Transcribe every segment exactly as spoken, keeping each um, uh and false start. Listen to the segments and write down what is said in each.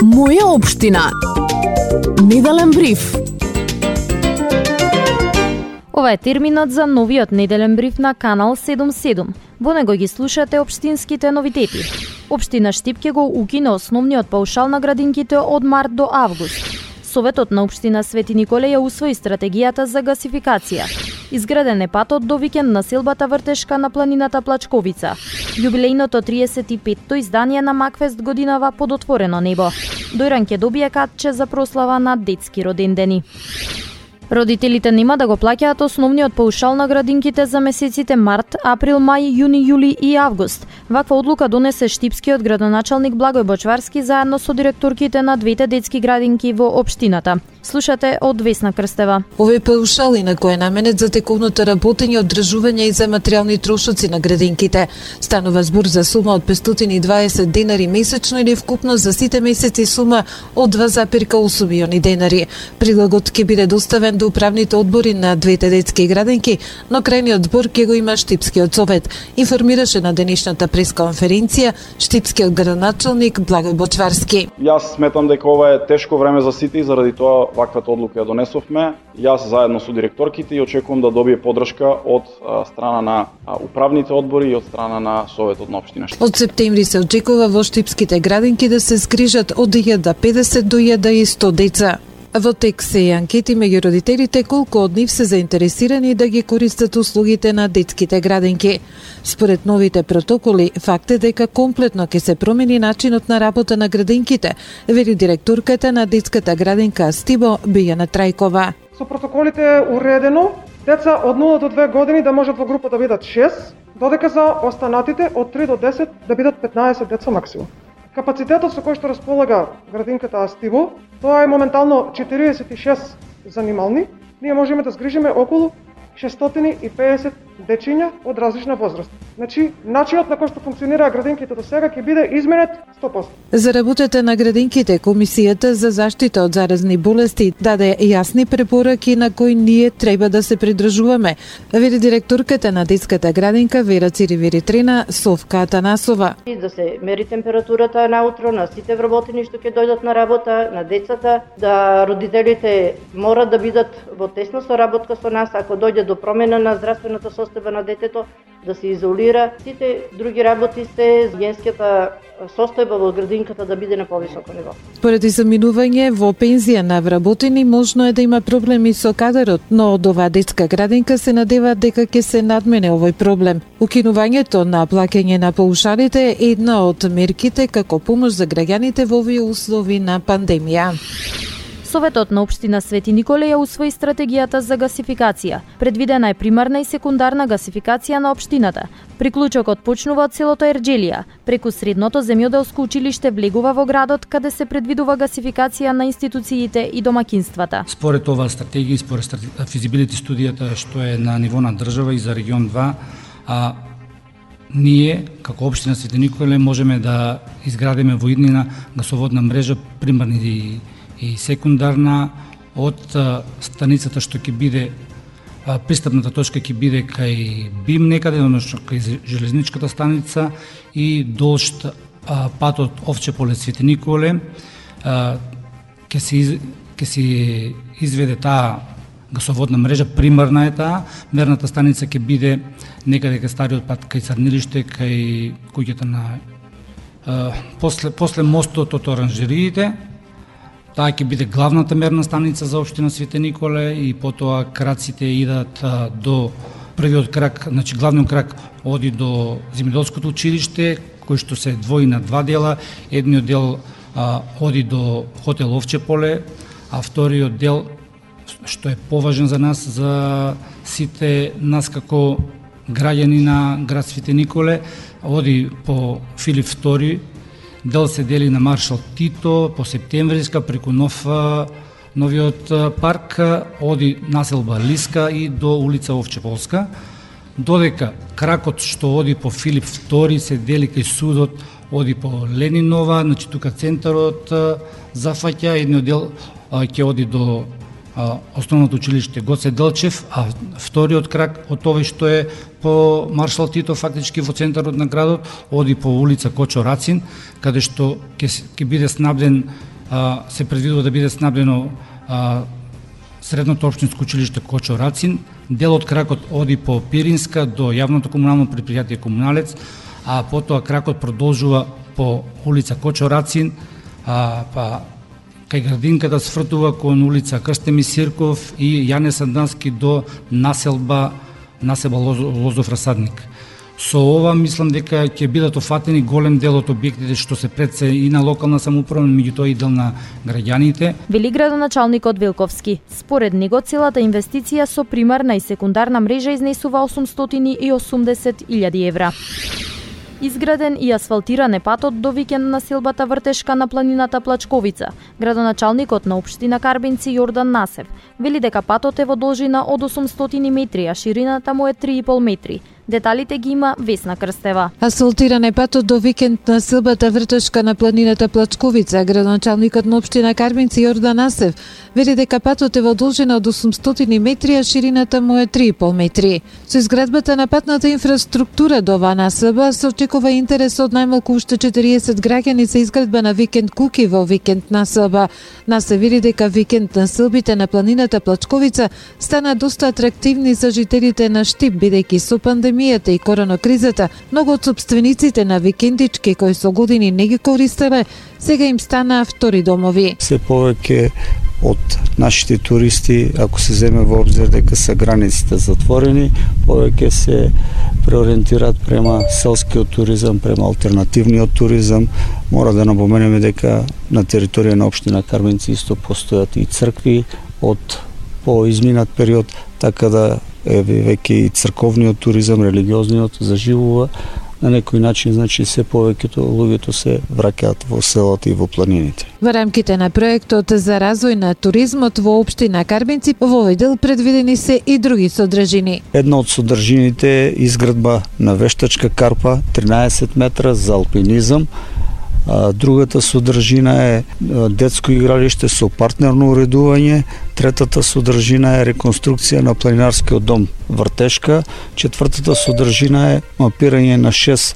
Моја општина. Неделен бриф. Ова е терминот за новиот неделен бриф на Канал седум седум. Во него ги слушате општинските новитети. Општина Штипке го укина основниот паушал на градинките од март до август. Советот на општина Свети Николе ја усвои стратегијата за гасификација. Изграден е патот до викенд населбата Вртешка на планината Плачковица. Јубилејното триесет и петто издание на Макфест годинава под отворено небо. Дојран ќе добие катче за прослава на детски родендени. Родителите нема да го плаќаат основниот паушал на градинките за месеците март, април, мај, јуни, јули и август. Ваква одлука донесе штипскиот градоначалник Благој Бочварски заедно со директорките на двете детски градинки во општината. Слушате од Весна Крстева. Овој паушал инаку е наменет за тековното работење, одржување и за материјални трошоци на градинките. Станува збор за сума од петстотини и дваесет денари месечно или вкупно за сите месеци сума од два зарез осум милиони денари. Прилогот ќе биде доставен до управните одбори на двете детски градинки, но крајниот збор ќе го има Штипскиот совет, информираше на денешната пресконференција штипскиот градоначалник Благој Бочварски. Јас сметам дека ова е тешко време за сите и заради тоа ваквата одлука ја донесовме. Јас заедно со директорките и очекувам да добие поддршка од а, страна на а, управните одбори и од страна на Советот на општина Штипска. Од септември се очекува во штипските градинки да се згрижат од илјада и педесет до илјада и сто деца. Во тек се и анкети меѓу родителите колку од нив се заинтересирани да ги користат услугите на детските градинки. Според новите протоколи, факт е дека комплетно ќе се промени начинот на работа на градинките, вели директорката на детската градинка Стибо Бијана Трајкова. Со протоколите е уредено деца од нула до две години да можат во група да бидат шест, додека за останатите од три до десет да бидат петнаесет деца максимум. Капацитетот со кој што располага градинката Астибо, тоа е моментално четириесет и шест занимални. Ние можеме да згрижиме околу шестстотини и педесет дечиња од различна возраст. Значи, начинот на кој што функционира градинките до сега ќе биде изменет сто проценти. За работата на градинките, Комисијата за заштита од заразни болести даде јасни препораки на кои ние треба да се придржуваме, вели директорката на детската градинка Вера Циривиритрина Совка Атанасова. Да се мери температурата наутро на сите вработени што ќе дојдат на работа, на децата, да родителите мора да бидат во тесна соработка со нас ако дојде до промена на здравствената состојба на детето, да се изолира. Сите други работи се генската состојба во градинката да биде на повисоко ниво. Поради заминување во пензија на вработени можно е да има проблеми со кадарот, но од оваа детска градинка се надеваат дека ќе се надмене овој проблем. Укинувањето на плаќање на паушалите е една од мерките како помош за граѓаните во овие услови на пандемија. Советот на општина Свети Николе ја усвои стратегијата за гасификација. Предвидена е примарна и секундарна гасификација на општината. Приклучокот почнува од селото Ерџелија. Преку средното земјоделско училиште влегува во градот каде се предвидува гасификација на институциите и домакинствата. Според оваа стратегија, според физибилити студијата што е на ниво на држава и за регион два, а ние, како општина Свети Николе, можеме да изградиме во иднина гасоводна мрежа, примарна и и секундарна, од станицата што ќе биде, пристапната точка ќе биде кај БИМ некаде, односно кај железничката станица и долж патот Овче поле Свети Николе, ќе се ќе се изведе таа гасоводна мрежа, примарна е таа, мерната станица ќе биде некаде кај стариот пат кај Црнилиште, кај куќата на после после мостот од оранжериите. Таа ќе биде главната мерна станица за општина Свети Николе и потоа краците идат до првиот крак, значи главниот крак оди до земјоделското училиште, кој што се двои на два дела. Едниот дел а, оди до хотел Овче поле, а вториот дел, што е поважен за нас, за сите нас како граѓани на град Свети Николе, оди по Филип втори, дел се дели на Маршал Тито, по Септемвриска, преку нов, новиот парк, оди населба Лиска и до улица Овчеполска, додека кракот што оди по Филип втори се дели кај судот, оди по Ленинова, значи тука центарот зафаќа, едниот дел ќе оди до Основното училиште Гоце Делчев, а вториот крак од овој што е по Маршал Тито, фактички во центарот на градот, оди по улица Кочо Рацин, каде што ќе ќе биде снабден, се предвидува да биде снабдено средното општинско училиште Кочо Рацин. Дел од кракот оди по Пиринска до јавното комунално предпријатие Комуналец, а потоа кракот продолжува по улица Кочо Рацин, а, па кај градинката свртува кон улица Крстеми Сирков и Јане Сандански до населба населба Лозов Расадник. Со ова мислам дека ќе бидат офатени голем дел од објектите што се пред се и на локална самоуправа, меѓутоа и дел на граѓаните. Вели градоначалникот Велковски. Според него целата инвестиција со примарна и секундарна мрежа изнесува осумстотини и осумдесет илјади евра. Изграден и асфалтиран е патот до викенд населбата Вртешка на планината Плачковица. Градоначалникот на општина Карбинци Јордан Насев вели дека патот е во должина од осумстотини метри, а ширината му е три и пол метри. Деталите ги има Весна Крстева. Асфалтиран е патот до викенд на населбата Вртешка на планината Плачковица. Градоначалникот на општина Карбинци Јордан Насев вели дека патот е во должина од осумстотини метри, а ширината му е три и пол метри. Со изградбата на патната инфраструктура до оваа населба се очекува интерес од најмалку уште четириесет граѓани за изградба на викенд куки во викенд населба. Насев вели дека викенд населбите на планината Плачковица стана доста атрактивни за жителите на Штип, бидејќи со пандемијата и коронакризата, многу од сопствениците на викендички кои со години не ги користеле, сега им станаа втори домови. Се повеќе од нашите туристи, ако се земе во обзир дека се границите затворени, повеќе се преориентираат према селскиот туризам, према алтернативниот туризам. Мора да напоменеме дека на територија на општина Карбинци исто постојат и цркви од по изминат период, така да е веќе и црковниот туризам, религиозниот заживува. На некој начин, значи, се повеќето луѓето се враќаат во селото и во планините. Во рамките на проектот за развој на туризмот во општина Карбинци, во овој дел предвидени се и други содржини. Една од содржините е изградба на вештачка карпа тринаесет метра за алпинизам. А, другата содржина е детско игралиште со партнерно уредување, третата содржина е реконструкција на планинарскиот дом Вртешка, четвртата содржина е мапирање на шест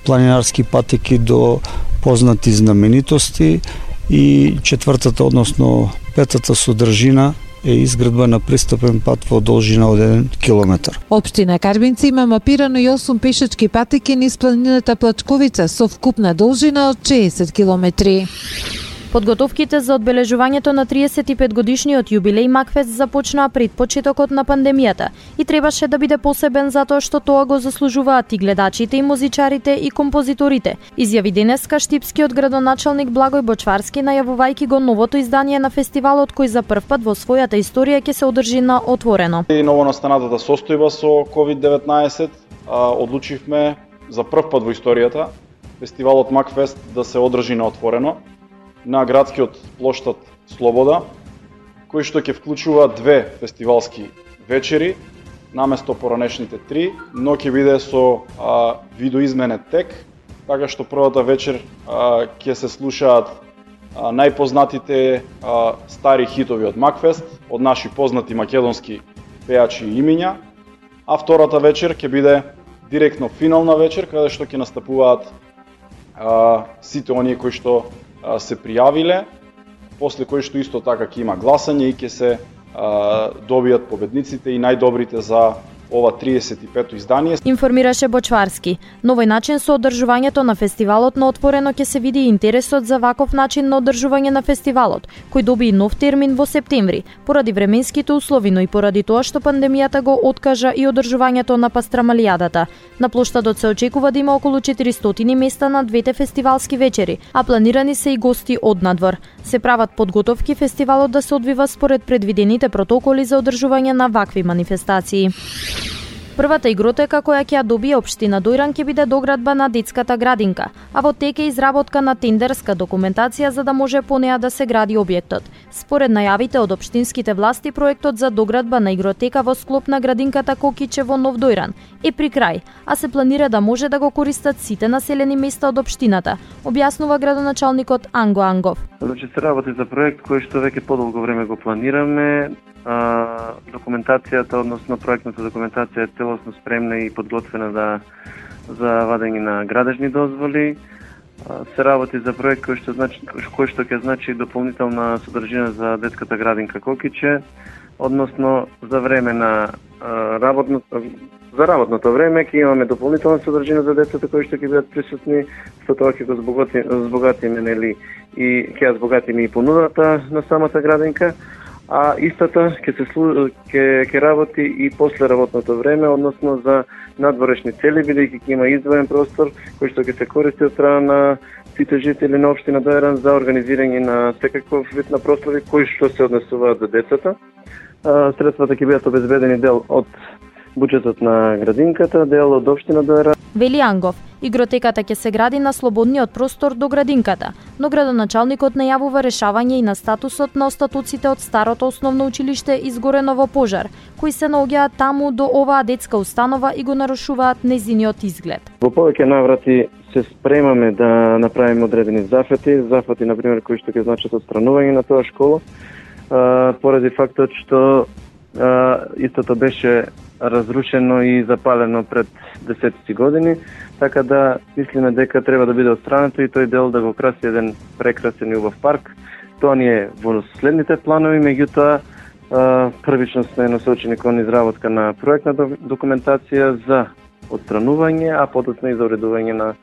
планинарски патеки до познати знаменитости и четвртата, односно петата содржина е изградба на пристапен пат во должина од еден километар. Општина Карбинци има мапирано и осум пешачки патеки низ планината Плачковица со вкупна должина од шеесет километри. Подготовките за одбележувањето на триесет и пет годишниот јубилеј Макфест започнаа пред почетокот на пандемијата и требаше да биде посебен затоа што тоа го заслужуваат и гледачите, и музичарите, и композиторите, изјави денеска штипскиот градоначалник Благој Бочварски, најавувајќи го новото издание на фестивалот кој за прв пат во својата историја ќе се одржи на отворено. И новонастанатата состојба со ковид деветнаесет одлучивме за прв пат во историјата фестивалот Макфест да се одржи на отворено на градскиот плоштад Слобода, кој што ќе вклучува две фестивалски вечери, наместо поранешните три, но ќе биде со а, видоизменет тек, така што првата вечер а, ќе се слушаат а, најпознатите а, стари хитови од Макфест, од наши познати македонски пејачи и имиња, а втората вечер ќе биде директно финална вечер, каде што ќе настапуваат а, сите оние кои што се пријавиле, после кој што исто така ќе има гласање и ќе се а, добијат победниците и најдобрите за ова триесет и пето издание. Информираше Бочварски. На овој начин со одржувањето на фестивалот на отворено ќе се види интересот за ваков начин на одржување на фестивалот, кој доби и нов термин во септември, поради временските услови, но и поради тоа што пандемијата го откажа и одржувањето на Пастрамалијадата. На плоштадот се очекува да има околу четиристотини места на двете фестивалски вечери, а планирани се и гости од надвор. Се прават подготовки фестивалот да се одвива според предвидените протоколи за одржување на вакви манифестации. Првата игротека која ќе ја добие општина Дојран ќе биде доградба на детската градинка, а во тек е изработка на тендерска документација за да може по неа да се гради објектот. Според најавите од општинските власти, проектот за доградба на игротека во склоп на градинката Кокиче во Нов Дојран е при крај, а се планира да може да го користат сите населени места од општината, објаснува градоначалникот Анго Ангов. Значи се работи за проект кој што веќе подолго време го планираме. А, документацијата, односно проектната документација е целосно спремна и подготвена да, за вадење на градежни дозволи. А, се работи за проект кој што значи кој што ќе значи дополнителна содржина за детската градинка Кокиче, односно за време на а, работното за работното време ќе имаме дополнителна содржина за децата кои што ќе бидат присутни, со тоа ќе го збогатиме, збогатиме нели и ќе ја збогатиме и понудата на самата градинка. А истата ќе се ќе ќе работи и после работното време, односно за надворешни цели, бидејќи ќе има издвоен простор кој што ќе се користи од страна на сите жители на општина Дојран за организирање на секаков вид на прослави кои што се однесуваат за децата. Средствата ќе бидат обезбедени дел од буџетот на градинката, дел од општина Дојран. Вели Ангов, игротеката ќе се гради на слободниот простор до градинката, но градоначалникот најавува решавање и на статусот на остатоците од старото основно училиште изгорено во пожар, кои се наоѓаат таму до оваа детска установа и го нарушуваат нејзиниот изглед. Во повеќе наврати се спремаме да направиме одредени зафати, зафати на пример кои што ќе значат отстранување на тоа школа, а, поради фактот што а, истото беше разрушено и запалено пред десетици години, така да мислиме дека треба да биде отстрането и тој дел да го краси еден прекрасен и убав парк. Тоа ни е во следните планови, меѓутоа првично сме насочени кон изработка на проектна документација за отстранување, а подоцна и за уредување на,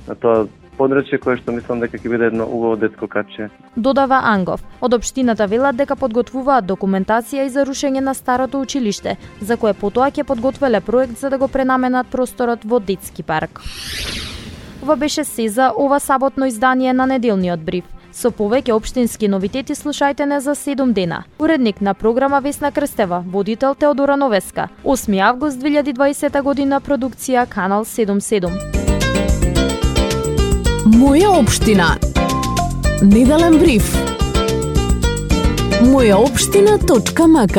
на тоа подрачје кое што мислам дека ќе биде едно убаво детско каче. Додава Ангов. Од општината велат дека подготвуваат документација и за рушење на старото училиште, за кое потоа ќе подготвеле проект за да го пренаменат просторот во детски парк. Ова беше се за ова саботно издание на неделниот бриф. Со повеќе општински новитети слушајте не за седум дена. Уредник на програма Весна Крстева, водител Теодора Новеска. осми август две илјади и дваесета година, продукција Канал седум седум. Моја општина. Неделен бриф. моја општина точка м к